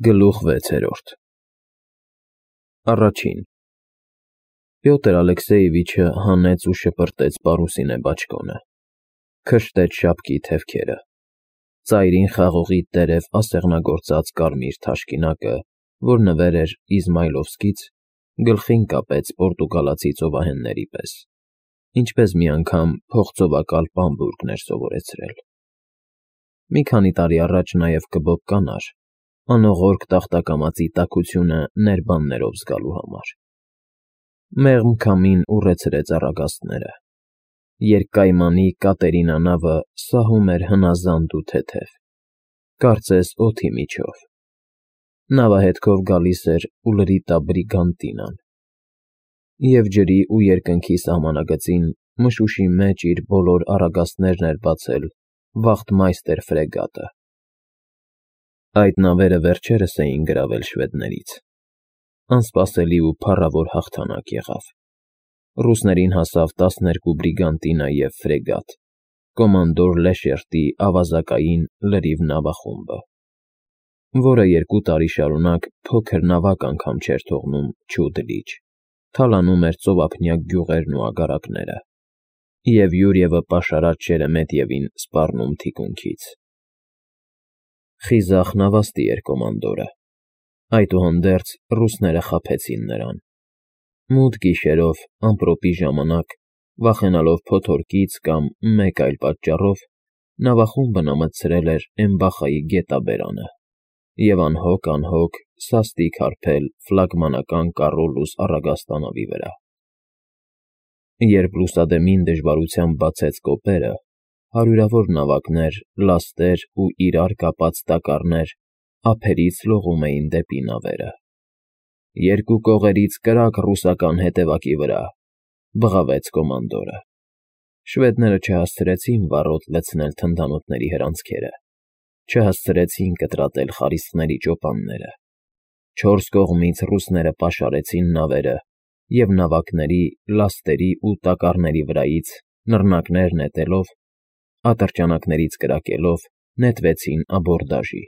Գլուխ 6 Առաջին Պյոտր Ալեքսեևիչը հանեց ու շպրտեց պարուսինե բաճկոնը, քշտեց շապկի թևքերը, ծայրին խաղողի տերև ասեղնագործած կարմիր թաշկինակը, որ նվեր էր Իզմայլովսկից, գլխին կապեց պորտուգալացի ծովահենների պես, ինչպես մի անգամ փողծովակալ Պամբուրգն էր սովորեցրել։ Մի քանի տարի առաջ նաև կբոբ կանար, անողորկ տախտակամածի տաքությունը ներբաններով զգալու համար։ Մեղմ քամին ուռեցրեց առագաստները, երկկայմանի Կատերինա նավը սահում էր հնազանդ ու թեթև, կարծես օդի միջով։ Նավահետքով գալիս էր Ուլրիտա Բրիգանտինան, և ջրի ու երկնքի սահմանագծին մշուշի մեջ իր բոլոր առագաստներն էր բացել Վախտմայստեր ֆրեգատը։ Այդ նավերը վերջերս էին գրավել շվեդներից։ Անսպասելի ու փառավոր հաղթանակ եղավ։ Ռուսներին հասավ 12 բրիգանտինա և ֆրեգատ, կոմանդոր Լեշերտի ավազակային լրիվ նավախումբը, որը 2 տարի շարունակ փոքր նավակ անգամ չէր թողնում չուդ լիճ, թալանում էր ծովափնյա գյուղերն ու ագարակները, և Յուրիևը պաշարած Շերեմետիևին սպառնում թիկունքից։ Խիզախ նավաստի էր կոմանդորը, այդուհանդերձ ռուսները խաբեցին նրան։ Մութ գիշերով, ամպրոպի ժամանակ, վախենալով փոթորկից կամ մեկ այլ պատճառով, նավախումբն ամցրել էր Էմբախայի գետաբերանը և անհոգ սաստիկ հարբել ֆլագմանական Կառոլուս առագաստանավի վրա։ Երբ լուսադեմին դժվարությամբ բացեց կոպերը, հարյուրավոր նավակներ, լաստեր ու իրար կապած տակառներ ափերից լողում էին դեպի նավերը։ «Երկու կողերից կրակ ռուսական հետևակի վրա», բղավեց կոմանդորը։ Շվեդները չհասցրեցին վառոդ լցնել թնդանոթների հրանցքերը, չհասցրեցին կտրատել խարիսխների ճոպանները։ 4 կողմից ռուսները պաշարեցին նավերը և նավակների, լաստերի ու տակառների վրայից նռնակներ նետելով, ատրճանակներից կրակելով, նետվեցին աբորդաժի։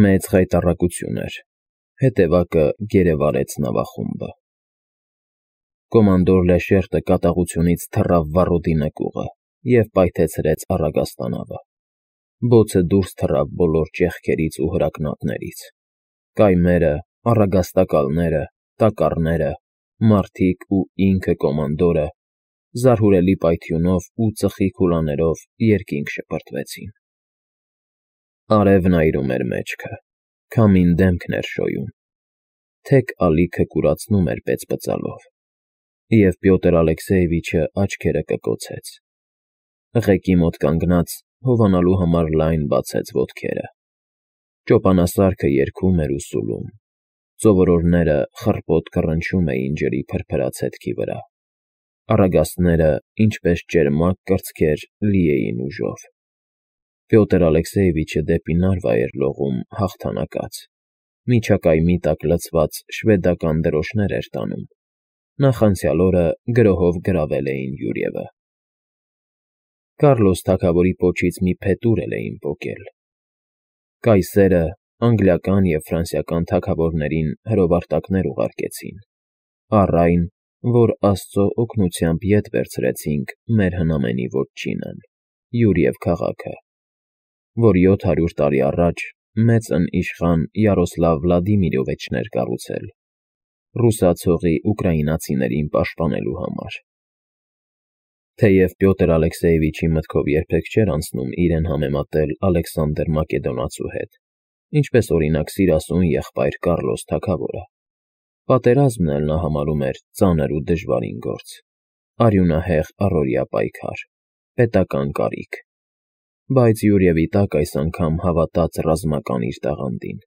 Մեծ խայտառակություն էր, հետևակը գերեվարեց նավախումբը։ Կոմանդոր Լեշերտը կատաղությունից թռավ վառոդի նկուղը և պայթեցրեց առագաստանավը։ Բոցը դուրս թռավ բոլոր ճեղքերից ու հրակնատներից։ Կայմերը, առագաստակալները, տակառները, մարդիկ ու ինքը կոմանդորը զարհուրելի պայթյունով ու ծխի քուլաներով երկինք շպրտվեցին։ Արևն այրում էր մեջքը, քամին դեմքն էր շոյում, թեք ալիքը կուրացնում էր պեծպծալով, և Պյոտր Ալեքսեևիչը աչքերը կկոցեց։ Ղեկի մոտ կանգնած, հովանալու համար լայն բացեց ոտքերը։ Ճոպանասարքը երգում էր ու սուլում, ծովորորները խռպոտ կռնչում էին ջրի փրփրած հետքի վրա, առագաստները, ինչպես ճերմակ կրծքեր, լի էին ուժով։ Պյոտր Ալեքսեևիչը դեպի Նարվա էր լողում հաղթանակած, միջակայմի տակ լցված շվեդական դրոշներ էր տանում, նախանցյալ օրը գրոհով գրավել էին Յուրիևը։ Կառլոս թագավորի պոչից մի փետուր էլ էին պոկել։ Կայսերը անգլիական և ֆրանսիական թագավորներին հրովարտակներ ուղարկեցին, առ այն, որ Աստծո օգնությամբ ետ վերցրեցինք մեր հնամենի ոչինն՝ Յուրիև քաղաքը, որ 700 տարի առաջ մեծն իշխան Յարոսլավ Վլադիմիրովիչն էր կառուցել՝ ռուսացողի ուկրաինացիներին պաշտպանելու համար։ Թեև Պյոտր Ալեքսեևիչի մտքով երբեք չէր անցնում իրեն համեմատել Ալեքսանդր Մակեդոնացու հետ, ինչպես օրինակ սիրասուն եղբայր Կառլոս թագավորը, պատերազմն էլ նա համարում էր ծանր ու դժվարին գործ, արյունահեղ առօրյա պայքար, պետական կարիք, բայց Յուրիևի տակ այս անգամ հավատաց ռազմական իր տաղանդին,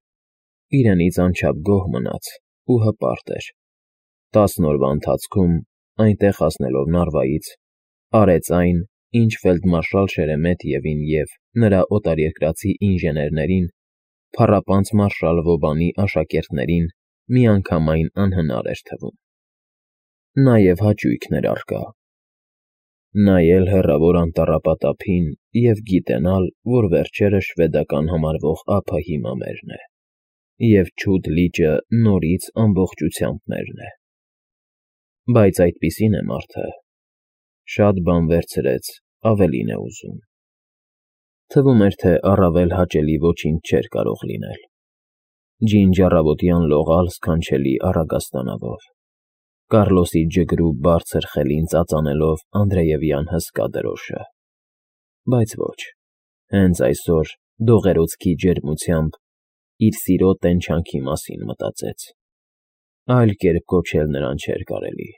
իրենից անչափ գոհ մնաց ու հպարտ էր։ 10 օրվա ընթացքում, այնտեղ հասնելով Նարվայից, արեց այն, ինչ ֆելդմարշալ Շերեմետիևին և նրա օտարերկրացի ինժեներներին, փառապանծ մարշալ Վոբանի աշակերտներին միանգամայն անհնար էր թվում։ Նաև հաճույքն էր առկա։ նայել հեռավոր անտառապատափին և գիտենալ, որ վերջերս շվեդական համարվող ափը հիմա մերն է, և չուդ լիճը նորից ամբողջությամբ մերն է։ Բայց այդպիսին է մարդը, շատ բան վերցրեց, ավելին է ուզում։ Թվում էր, թե առավել հաճելի ոչինչ չէր կարող լինել։ Ջինջ առավոտյան լողալ սքանչելի առագաստանավով, Կառլոսի ջգրու բարձր խելին ծածանելով Անդրեևյան հսկա դրոշը։ Բայց ոչ, հենց այսօր դողերոցքի ջերմությամբ իր սիրո տենչանքի մասին մտածեց։ Այլ կերպ կոչել նրան չէր կարելի,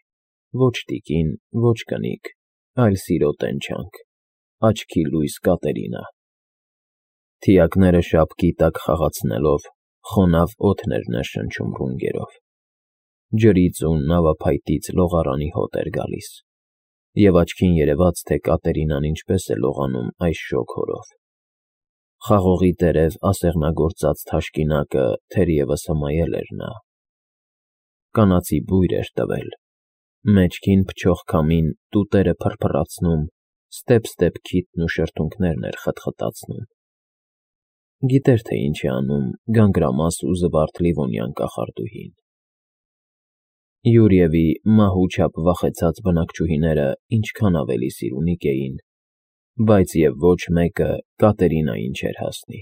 ոչ տիկին, ոչ կնիկ, այլ սիրո տենչանք, աչքի լույս Կատերինա։ Թիակները շապկի տակ խաղացնելով, խոնավ օդն էր ներշնչում ռունգերով։ Ջրից ու նավափայտից լողարանի հոտ էր գալիս, և աչքին երևաց, թե Կատերինան ինչպես է լողանում այս շոգ հորով։ Խաղողի տերև ասեղնագործած թաշկինակը թերևս հմայել էր նա։ Կանացի բույր էր տվել, մեջքին փչող քամին տուտերը փրփրացնում, ստեպ-ստեպ քիթն ու շրթունքներն էր խտխտացնում։ Գիտեր, թե ինչ է անում գանգրամաս ու զվարթ Լիվոնյան կախարդուհին։ Յուրիևի մահու չափ վախեցած բնակչուհիները ինչքան ավելի սիրունիկ էին, բայց և ոչ մեկը Կատերինային չէր հասնի։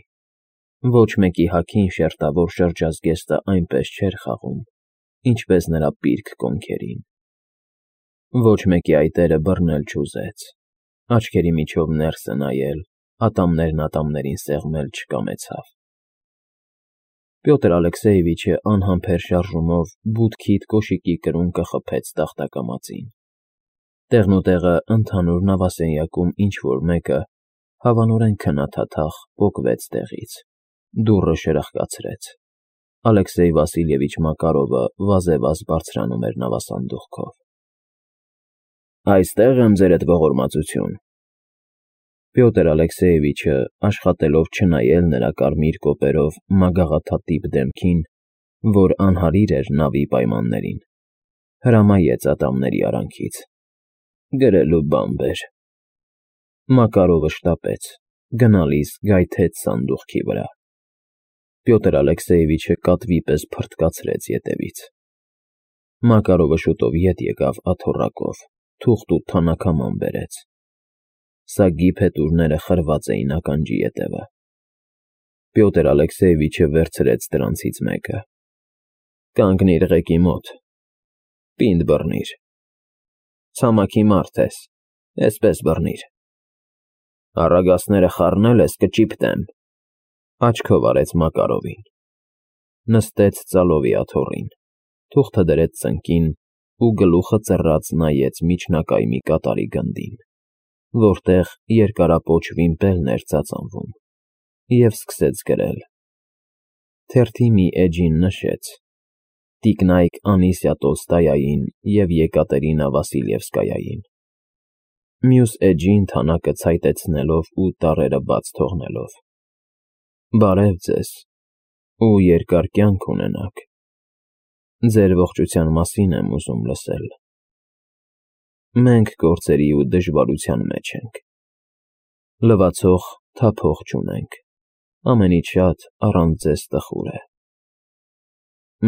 Ոչ մեկի հագին շերտավոր շրջազգեստը այնպես չէր խաղում, ինչպես նրա պիրկ կոնքերին։ Ոչ մեկի այտերը բռնել չուզեց, աչքերի միջով ներս է նայել, ատամներն ատամներին սեղմել չկամեցավ։ Պյոտր Ալեքսեյևիչը անհամբեր շարժումով բութքիթ կոշիկի կրունկը խփեց տախտակամածին։ Տեղնուտեղը ընդհանուր նավասենյակում ինչ-որ մեկը հավանորեն քնաթաթախ պոկվեց տեղից, դուռը շրխկացրեց։ Ալեքսեյ Վասիլևիչ Մակարովը վազևազ բարձրանում էր նավասանդուղքով։ Այստեղ եմ, ձերդ ողորմածություն։ Պյոտր Ալեքսեյևիչը, աշխատելով չնայել նրա կարմիր կոպերով մագաղաթաթիպ դեմքին, որ անհարիր էր նավի պայմաններին, հրամայեց ատամների արանքից. Գրելու բան բեր։ Մակարովը շտապեց, գնալիս գայթեց սանդուղքի վրա։ Պյոտր Ալեքսեյևիչը կատվի պես փռթկացրեց ետևից։ Մակարովը շուտով ետ եկավ աթոռակով, թուղթ ու թանաքաման բերեց։ Սագի փետուրները խրված էին ականջի ետևը։ Պյոտր Ալեքսեյևիչը վերցրեց դրանցից մեկը։ Կանգնիր ղեկի մոտ, պինդ բռնիր։ Ցամաքի մարդ ես, էսպես բռնիր։ Առագաստները խառնել ես, կճիպտեմ։ Աչքով արեց Մակարովին։ Նստեց ծալովի աթոռին, թուղթը դրեց ծնկին ու գլուխը ծռած նայեց միջնակայմի կատարի գնդին, որտեղ երկարապոչ վիմպելն էր ծածանվում, և սկսեց գրել։ Թերթի մի էջին նշեց. Տիկնայք Անիսիա Տոլստոյային և Եկատերինա Վասիլևսկայային։ Մյուս էջին թանակը ցայտեցնելով ու տառերը բաց թողնելով. Բարև ձեզ ու երկար կյանք ունենաք։ Ձեր ողջության մասին եմ ուզում լսել։ Մենք գործերի ու դժվարության մեջ ենք։ Լվացող թափող չունենք, ամենից շատ առանց ձեզ տխուր է։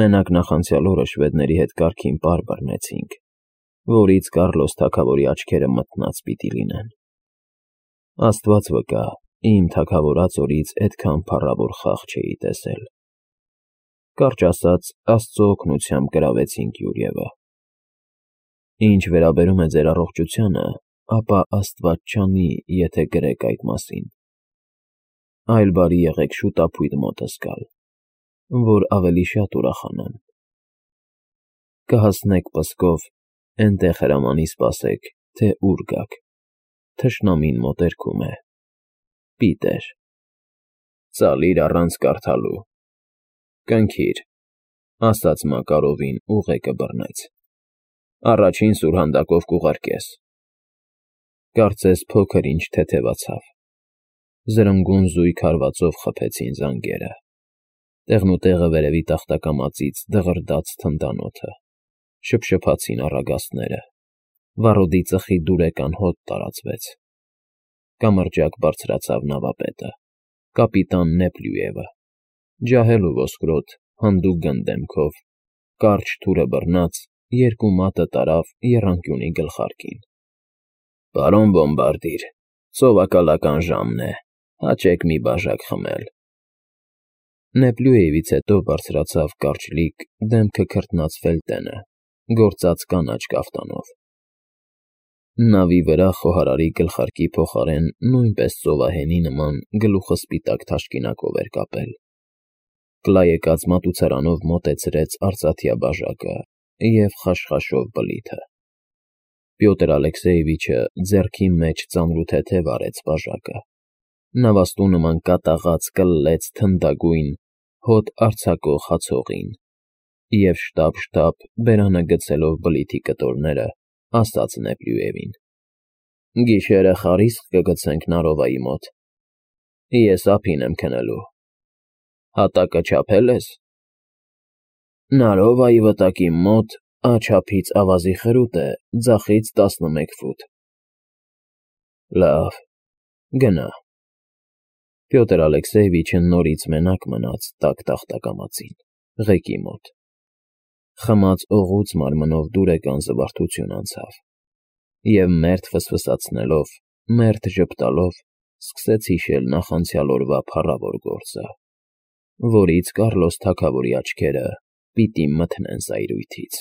Մենակ նախանցյալ օրը շվեդների հետ կարգին պար բռնեցինք, որից Կառլոս թագավորի աչքերը մթնած պիտի լինեն։ Աստված վկա, իմ թագավորած օրից այդքան փառավոր խաղ չէի տեսել։ Կարճ ասած, Աստծո օգնությամբ գրավեցինք Յուրիևը։ Ինչ վերաբերում է ձեր առողջությանը, ապա Աստված չանի, եթե գրեք այդ մասին։ Այլ բարի եղեք շուտապույտ մոտս գալ, որ ավելի շատ ուրախանամ։ Կհասնեք Պսկով, էնտեղ հրամանի սպասեք, թե ուր գաք։ Թշնամին մոտերքում է։ Պիտեր։ Ծալիր առանց կարդալու։ Կնքիր, ասաց Մակարովին ու ղեկը բռնեց։ Առաջին սուրհանդակով կուղարկես։ Կարծես փոքր ինչ թեթևացավ։ Զրնգուն զույգ հարվածով խփեցին զանգերը։ Տեղնուտեղը վերևի տախտակամածից դղրդաց թնդանոթը։ Շփշփացին առագաստները։ Վառոդի ծխի դուրեկան հոտ տարածվեց։ Կամրջակ բարձրացավ նավապետը, կապիտան Նեպլյուևը, ջահել ու ոսկրոտ, հանդուկ գնդեմքով, կարճ թուրը բռնած, երկու մատը տարավ եռանկյունի գլխարկին։ Պարոն բոմբարդիր, սովակալական ժամն է, հաճեք մի բաժակ խմել։ Նեպլյուևից հետո բարձրացավ կարճլիկ, դեմքը քրտնացվել տենը, գործած կանաչ կաֆտանով։ Նավի վրա խոհարարի գլխարկի փոխարեն նույնպես ծովահենի նման գլուխը սպիտակ թաշկինակով էր կապել։ Կլայեկած մատուցարանով մոտեցրեց արծաթյա բաժակը և խաշխաշով բլիթը։ Պյոտր Ալեքսեևիչը ձեռքի մեջ ծանրութեթև արեց բաժակը, նավաստու նման կատաղած կլլեց թնդագույն, հոտ արձակող հացողին և շտապ բերանը գցելով բլիթի կտորները, ասաց Նեպլյուևին. Գիշերը խարիսկ կգցենք Նարովայի մոտ։ Ես ափին եմ քնելու։ Հատակը չափե՞լ ես։ Նարովայի վտակի մոտ աջափից ավազի խրուտ է, ձախից 11 ֆուտ։ Լավ, գնա։ Պյոտր Ալեքսեևիչը նորից մենակ մնաց տաք տախտակամածին, ղեկի մոտ։ Խմած օղուց մարմնով դուրեկան զվարթություն անցավ, և մերթ ֆսֆսացնելով, մերթ ժպտալով սկսեց հիշել նախանցյալ օրվա փառավոր գործը, որից Կառլոս թագավորի աչքերը պիտի մթնեն զայրույթից։